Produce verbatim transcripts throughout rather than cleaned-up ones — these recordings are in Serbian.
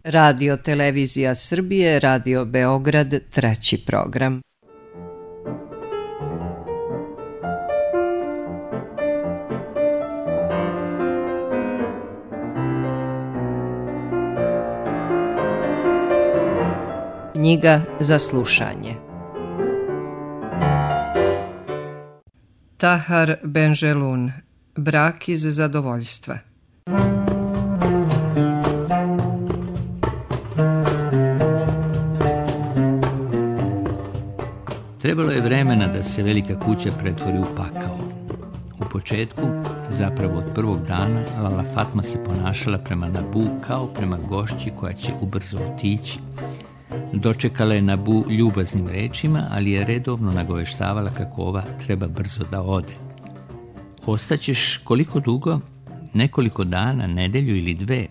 Radio Televizija Srbije, Radio Beograd, treći program. Knjiga za slušanje. Tahar Benjelun, Brak iz zadovoljstva. Trebalo je vremena da se velika kuća pretvori u pakao. U početku, zapravo od prvog dana, Lala Fatma se ponašala prema Nabu kao prema gošći koja će ubrzo otići. Dočekala je Nabu ljubaznim rečima, ali je redovno nagoveštavala kako ova treba brzo da ode. Ostaćeš koliko dugo? Nekoliko dana, nedelju ili dve?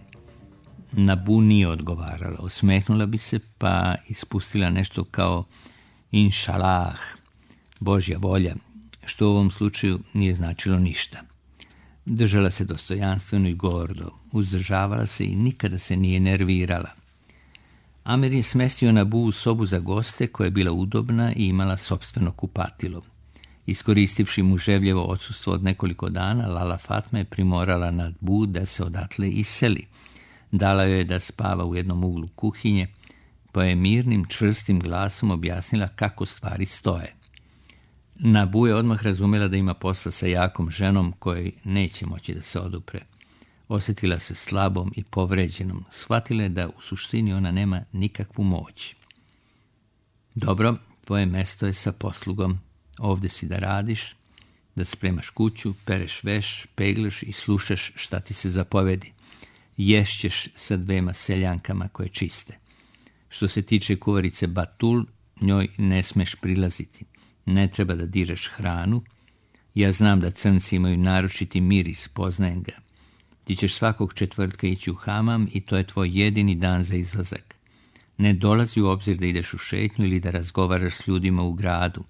Nabu nije odgovarala. Osmehnula bi se pa ispustila nešto kao inšalah, Božja volja, što u ovom slučaju nije značilo ništa. Držala se dostojanstveno i gordo, uzdržavala se i nikada se nije nervirala. Amir je smestio Nabu u sobu za goste koja je bila udobna i imala sopstveno kupatilo. Iskoristivši muževljevo odsustvo od nekoliko dana, Lala Fatma je primorala Nabu da se odatle iseli. Dala joj je da spava u jednom uglu kuhinje, pa je mirnim, čvrstim glasom objasnila kako stvari stoje. Nabu je odmah razumjela da ima posla sa jakom ženom kojoj neće moći da se odupre. Osjetila se slabom i povređenom. Shvatila je da u suštini ona nema nikakvu moć. Dobro, tvoje mesto je sa poslugom. Ovdje si da radiš, da spremaš kuću, pereš veš, peglaš i slušaš šta ti se zapovedi. Ješćeš sa dvema seljankama koje čiste. Što se tiče kuvarice Batul, njoj ne smeš prilaziti. Ne treba da diraš hranu. Ja znam da crnci imaju naročiti miris, poznajem ga. Ti ćeš svakog četvrtka ići u hamam i to je tvoj jedini dan za izlazak. Ne dolazi u obzir da ideš u šetnju ili da razgovaraš s ljudima u gradu.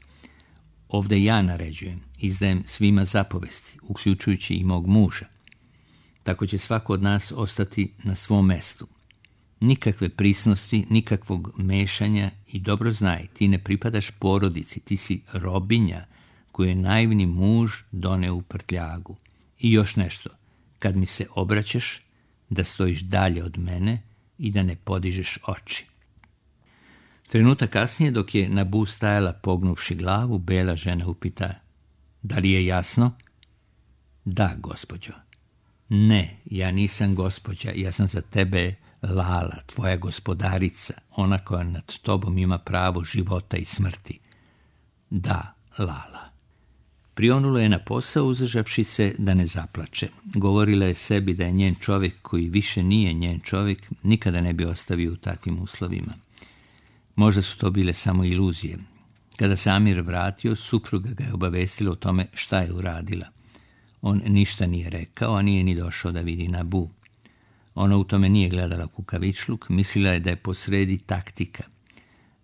Ovdje ja naređujem, izdajem svima zapovesti, uključujući i mog muža. Tako će svako od nas ostati na svom mestu. Nikakve prisnosti, nikakvog mešanja i dobro znaj, ti ne pripadaš porodici, ti si robinja koju je naivni muž doneo u prtljagu. I još nešto, kad mi se obraćaš, da stojiš dalje od mene i da ne podižeš oči. Trenutak kasnije, dok je Nabu stajala pognuvši glavu, bela žena upita, da li je jasno? Da, gospođo. Ne, ja nisam gospođa, ja sam za tebe Lala, tvoja gospodarica, ona koja nad tobom ima pravo života i smrti. Da, Lala. Prionula je na posao, uzdržavši se da ne zaplače. Govorila je sebi da je njen čovjek, koji više nije njen čovjek, nikada ne bi ostavio u takvim uslovima. Možda su to bile samo iluzije. Kada se Amir vratio, supruga ga je obavestila o tome šta je uradila. On ništa nije rekao, a nije ni došao da vidi Nabu. Ona u tome nije gledala kukavičluk, mislila je da je posredi taktika.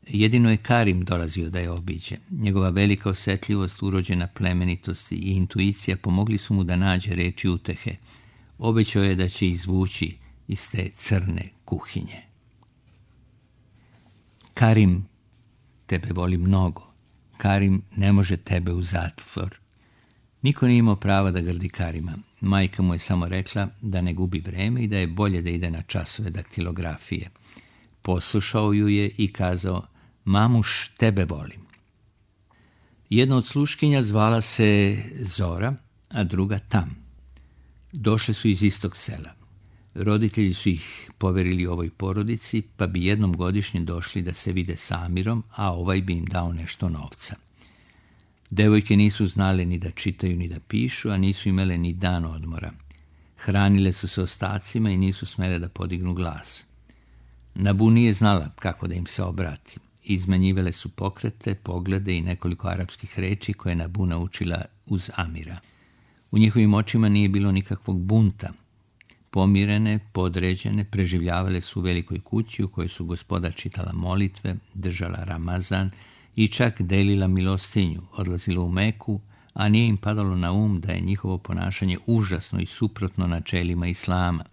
Jedino je Karim dolazio da je obiđe. Njegova velika osjetljivost, urođena plemenitost i intuicija pomogli su mu da nađe reči utehe. Obećao je da će izvući iz te crne kuhinje. Karim tebe voli mnogo. Karim ne može tebe u zatvor. Niko nije imao prava da grdi Karima. Majka mu je samo rekla da ne gubi vreme i da je bolje da ide na časove daktilografije. Poslušao ju je i kazao, mamuš, tebe volim. Jedna od sluškinja zvala se Zora, a druga Tam. Došle su iz istog sela. Roditelji su ih poverili ovoj porodici, pa bi jednom godišnje došli da se vide s Amirom, a ovaj bi im dao nešto novca. Devojke nisu znale ni da čitaju ni da pišu, a nisu imale ni dan odmora. Hranile su se ostacima i nisu smele da podignu glas. Nabu nije znala kako da im se obrati. Izmenjivale su pokrete, poglede i nekoliko arapskih reči koje Nabu naučila uz Amira. U njihovim očima nije bilo nikakvog bunta. Pomirene, podređene, preživljavale su u velikoj kući u kojoj su gospoda čitala molitve, držala Ramazan i čak delila milostinju, odlazila u Meku, a nije im padalo na um da je njihovo ponašanje užasno i suprotno načelima islama.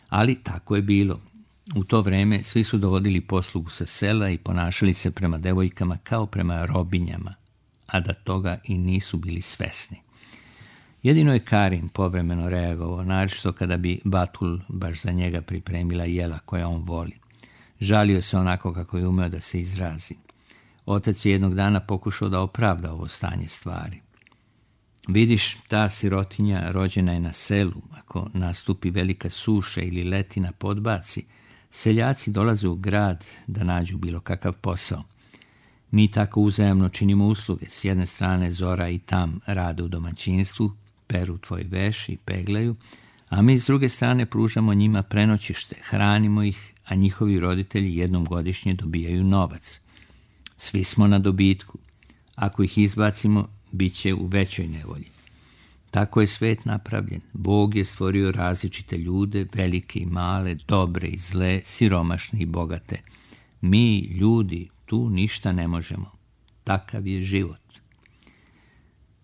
Ali tako je bilo. U to vreme svi su dovodili poslugu sa sela i ponašali se prema devojkama kao prema robinjama, a da toga i nisu bili svesni. Jedino je Karim povremeno reagovao, naročito kada bi Batul baš za njega pripremila jela koja on voli. Žalio se onako kako je umeo da se izrazi. Otac je jednog dana pokušao da opravda ovo stanje stvari. Vidiš, ta sirotinja rođena je na selu. Ako nastupi velika suša ili letina podbaci, seljaci dolaze u grad da nađu bilo kakav posao. Mi tako uzajamno činimo usluge. S jedne strane Zora i Tam rade u domaćinstvu, peru tvoj veš i peglaju, a mi s druge strane pružamo njima prenoćište, hranimo ih, a njihovi roditelji jednom godišnje dobijaju novac. Svi smo na dobitku. Ako ih izbacimo, bit će u većoj nevolji. Tako je svet napravljen. Bog je stvorio različite ljude, velike i male, dobre i zle, siromašne i bogate. Mi, ljudi, tu ništa ne možemo. Takav je život.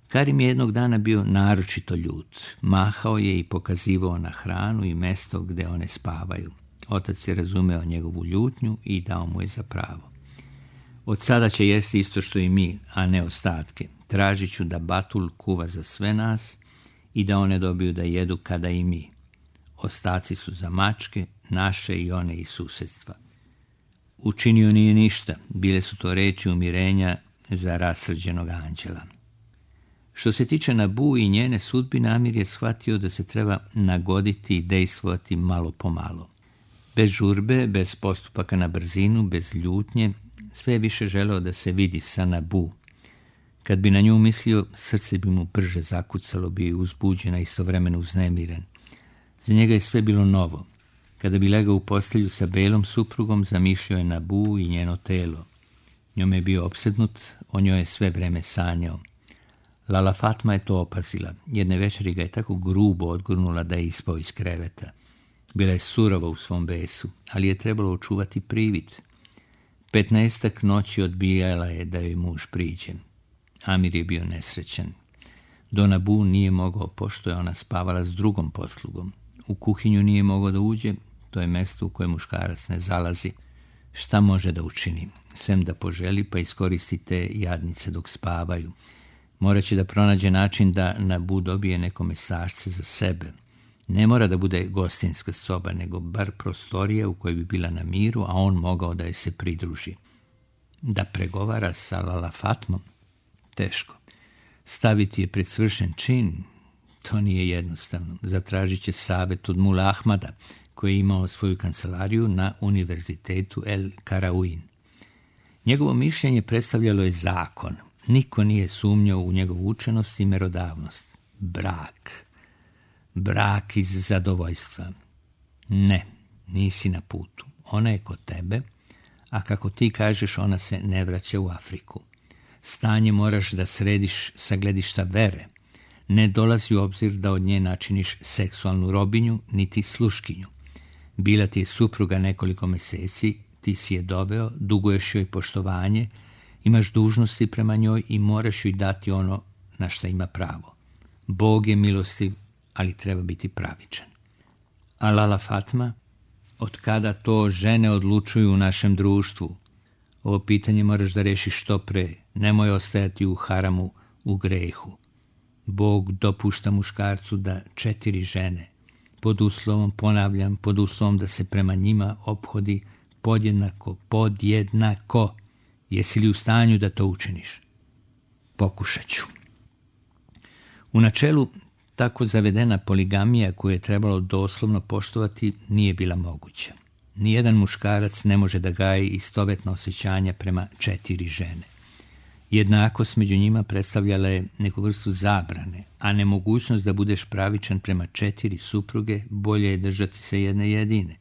Karim je jednog dana bio naročito ljut. Mahao je i pokazivao na hranu i mesto gde one spavaju. Otac je razumeo njegovu ljutnju i dao mu je za pravo. Od sada će jesti isto što i mi, a ne ostatke. Tražit ću da Batul kuva za sve nas i da one dobiju da jedu kada i mi. Ostaci su za mačke, naše i one iz susedstva. Učinio nije ništa, bile su to reči umirenja za rasrđenog anđela. Što se tiče Nabu i njene sudbine, Amir je shvatio da se treba nagoditi i dejstvovati malo po malo. Bez žurbe, bez postupaka na brzinu, bez ljutnje, sve je više želeo da se vidi sa Nabu. Kad bi na nju mislio, srce bi mu brže zakucalo, bi uzbuđen, a istovremeno uznemiren. Za njega je sve bilo novo. Kada bi legao u postelju sa belom suprugom, zamišljao je Nabu i njeno telo. Njome je bio opsednut, o njoj je sve vreme sanjao. Lala Fatma je to opazila. Jedne večeri ga je tako grubo odgurnula da je ispao iz kreveta. Bila je surova u svom besu, ali je trebalo očuvati privid. Petnaestak noći odbijala je da joj muž priđe. Amir je bio nesrećan. Do Nabu nije mogao, pošto je ona spavala s drugom poslugom. U kuhinju nije mogao da uđe, to je mesto u koje muškarac ne zalazi. Šta može da učini? Sem da poželi pa iskoristi te jadnice dok spavaju. Moraće da pronađe način da Nabu dobije neko mesačce za sebe. Ne mora da bude gostinska soba, nego bar prostorija u kojoj bi bila na miru, a on mogao da je se pridruži. Da pregovara sa Lala Fatmom? Teško. Staviti je pred svršen čin? To nije jednostavno. Zatražit će savet od Mula Ahmada, koji je imao svoju kancelariju na univerzitetu El Karauin. Njegovo mišljenje predstavljalo je zakon. Niko nije sumnjao u njegovu učenost i merodavnost. Brak. Brak iz zadovoljstva. Ne, nisi na putu. Ona je kod tebe, a kako ti kažeš, ona se ne vraća u Afriku. Stanje moraš da središ sa gledišta vere. Ne dolazi u obzir da od nje načiniš seksualnu robinju, niti sluškinju. Bila ti je supruga nekoliko meseci, ti si je doveo, duguješ joj poštovanje, imaš dužnosti prema njoj i moraš joj dati ono na šta ima pravo. Bog je milostiv, ali treba biti pravičan. A Lala Fatma? Od kada to žene odlučuju u našem društvu? Ovo pitanje moraš da rešiš što pre. Nemoj ostajati u haramu, u grehu. Bog dopušta muškarcu da četiri žene, pod uslovom, ponavljam, pod uslovom da se prema njima ophodi podjednako, podjednako. Jesi li u stanju da to učiniš? Pokušat ću. U načelu, tako zavedena poligamija koju je trebalo doslovno poštovati nije bila moguća. Nijedan muškarac ne može da gaji istovetna osjećanja prema četiri žene. Jednakost među njima predstavljala je neku vrstu zabrane, a nemogućnost da budeš pravičan prema četiri supruge bolje je držati se jedne jedine.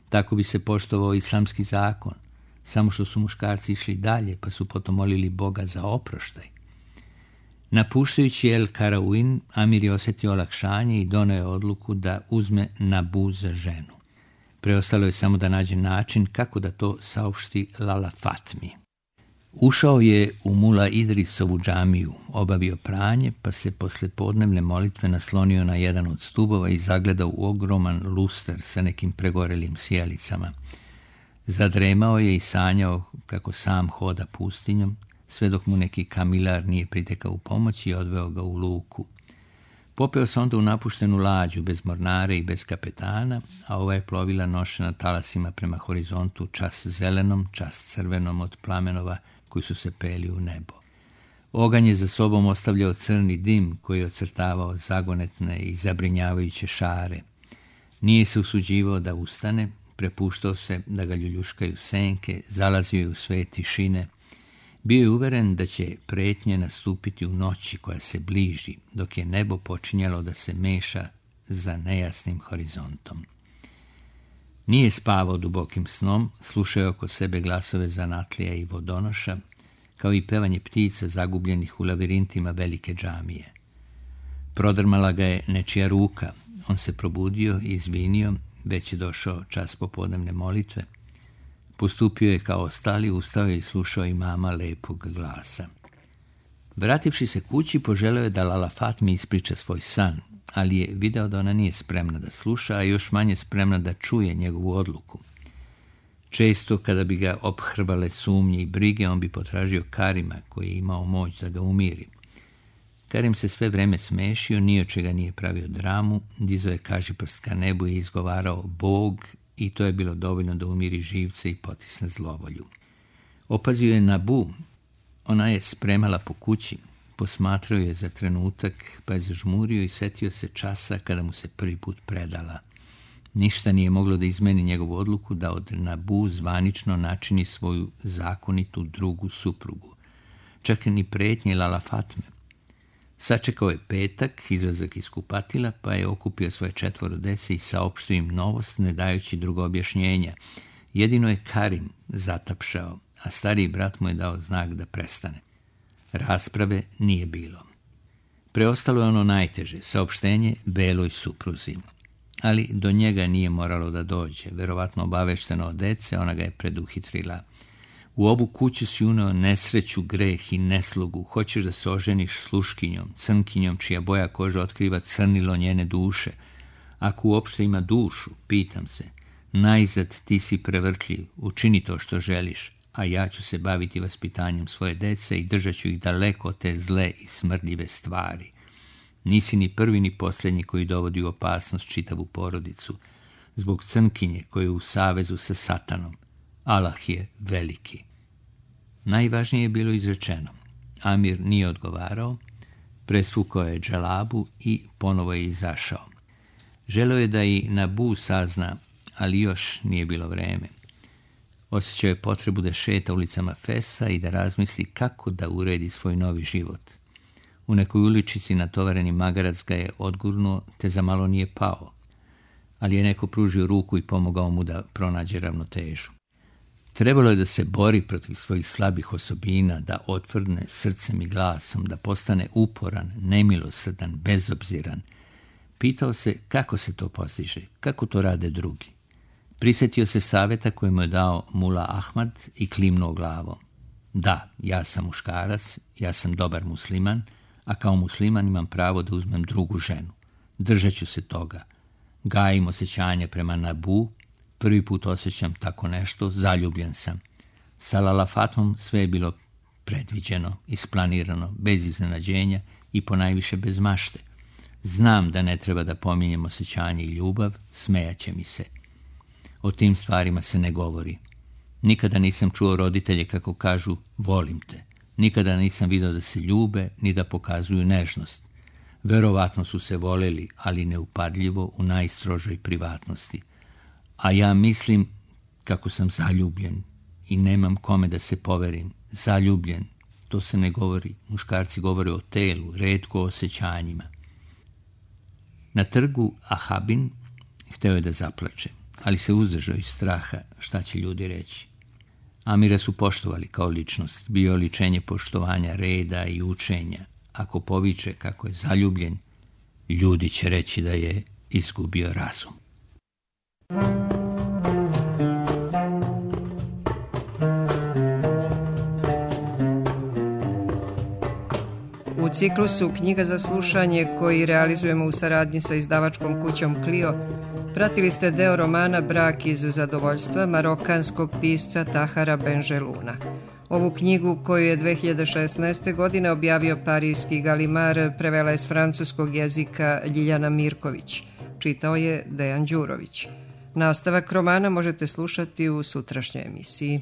Tako bi se poštovao islamski zakon, samo što su muškarci išli dalje pa su potom molili Boga za oproštaj. Napuštajući El Karauin, Amir je osjetio olakšanje i doneo je odluku da uzme Nabu za ženu. Preostalo je samo da nađe način kako da to saopšti Lala Fatmi. Ušao je u Mula Idrisovu džamiju, obavio pranje, pa se posle podnevne molitve naslonio na jedan od stubova i zagledao u ogroman luster sa nekim pregorelim sjelicama. Zadremao je i sanjao kako sam hoda pustinjom, sve dok mu neki kamilar nije pritekao u pomoć i odveo ga u luku. Popeo se onda u napuštenu lađu, bez mornare i bez kapetana, a ova je plovila nošena talasima prema horizontu, čas zelenom, čas crvenom od plamenova koji su se peli u nebo. Oganj je za sobom ostavljao crni dim koji je ocrtavao zagonetne i zabrinjavajuće šare. Nije se usuđivao da ustane, prepuštao se da ga ljuljuškaju senke, zalazio je u sve tišine. Bio je uveren da će pretnje nastupiti u noći koja se bliži, dok je nebo počinjalo da se meša za nejasnim horizontom. Nije spavao dubokim snom, slušao oko sebe glasove zanatlija i vodonoša, kao i pevanje ptica zagubljenih u lavirintima velike džamije. Prodrmala ga je nečija ruka, on se probudio i izvinio, već je došao čas popodnevne molitve. Postupio je kao ostali, ustao je i slušao imama lepog glasa. Vrativši se kući, poželeo je da Lala Fatmi ispriča svoj san, ali je video da ona nije spremna da sluša, a još manje spremna da čuje njegovu odluku. Često, kada bi ga ophrvale sumnje i brige, on bi potražio Karima, koji je imao moć da ga umiri. Karim se sve vreme smešio, ni od čega nije pravio dramu, dizao je kažiprst ka nebu i izgovarao Bog, i to je bilo dovoljno da umiri živce i potisne zlovolju. Opazio je Nabu, ona je spremala po kući, posmatrao je za trenutak, pa je zažmurio i setio se časa kada mu se prvi put predala. Ništa nije moglo da izmeni njegovu odluku da od Nabu zvanično načini svoju zakonitu drugu suprugu. Čak ni pretnje Lala Fatme. Sačekao je petak, izlazak iz kupatila, pa je okupio svoje četvoro dece i saopštio im novost, ne dajući drugo objašnjenja. Jedino je Karim zatapšao, a stariji brat mu je dao znak da prestane. Rasprave nije bilo. Preostalo je ono najteže, saopštenje beloj supruzi. Ali do njega nije moralo da dođe. Verovatno obavešteno od dece, ona ga je preduhitrila. U ovu kuću si uneo nesreću, greh i neslugu. Hoćeš da se oženiš sluškinjom, crnkinjom, čija boja koža otkriva crnilo njene duše. Ako uopšte ima dušu, pitam se, najzad ti si prevrtljiv, učini to što želiš, a ja ću se baviti vaspitanjem svoje dece i držat ću ih daleko od te zle i smrdljive stvari. Nisi ni prvi ni posljednji koji dovodi u opasnost čitavu porodicu, zbog crnkinje koje je u savezu sa satanom. Allah je veliki. Najvažnije je bilo izrečeno. Amir nije odgovarao, presvukao je dželabu i ponovo je izašao. Želeo je da i Nabu sazna, ali još nije bilo vreme. Osjećao je potrebu da šeta ulicama Fesa i da razmisli kako da uredi svoj novi život. U nekoj uličici natovareni magarac ga je odgurnuo, te za malo nije pao, ali je neko pružio ruku i pomogao mu da pronađe ravnotežu. Trebalo je da se bori protiv svojih slabih osobina, da otvrdne srcem i glasom, da postane uporan, nemilosrdan, bezobziran. Pitao se kako se to postiže, kako to rade drugi. Prisjetio se savjeta koji mu je dao Mula Ahmad i klimnuo glavom. Da, ja sam muškarac, ja sam dobar musliman, a kao musliman imam pravo da uzmem drugu ženu. Držat ću se toga. Gajim osjećanje prema Nabu, prvi put osjećam tako nešto, zaljubljen sam. Sa Lala Fatom sve je bilo predviđeno, isplanirano, bez iznenađenja i ponajviše bez mašte. Znam da ne treba da pominjem osjećanje i ljubav, smejaće mi se. O tim stvarima se ne govori. Nikada nisam čuo roditelje kako kažu volim te. Nikada nisam vidio da se ljube ni da pokazuju nežnost. Verovatno su se voleli, ali neupadljivo u najstrožoj privatnosti. A ja mislim kako sam zaljubljen i nemam kome da se poverim. Zaljubljen, to se ne govori. Muškarci govore o telu, retko o osjećanjima. Na trgu Ahabin hteo je da zaplače, ali se uzdržao iz straha šta će ljudi reći. Amira su poštovali kao ličnost, bio oličenje poštovanja, reda i učenja. Ako poviče kako je zaljubljen, ljudi će reći da je izgubio razum. ciklusu Knjiga za slušanje koji realizujemo u saradnji sa izdavačkom kućom Clio, pratili ste deo romana Brak iz zadovoljstva marokanskog pisca Tahara Benjeluna. Ovu knjigu, koju je dve hiljade šesnaeste. godine objavio parijski Galimar, prevela je s francuskog jezika Ljiljana Mirković. Čitao je Dejan Đurović. Nastavak romana možete slušati u sutrašnjoj emisiji.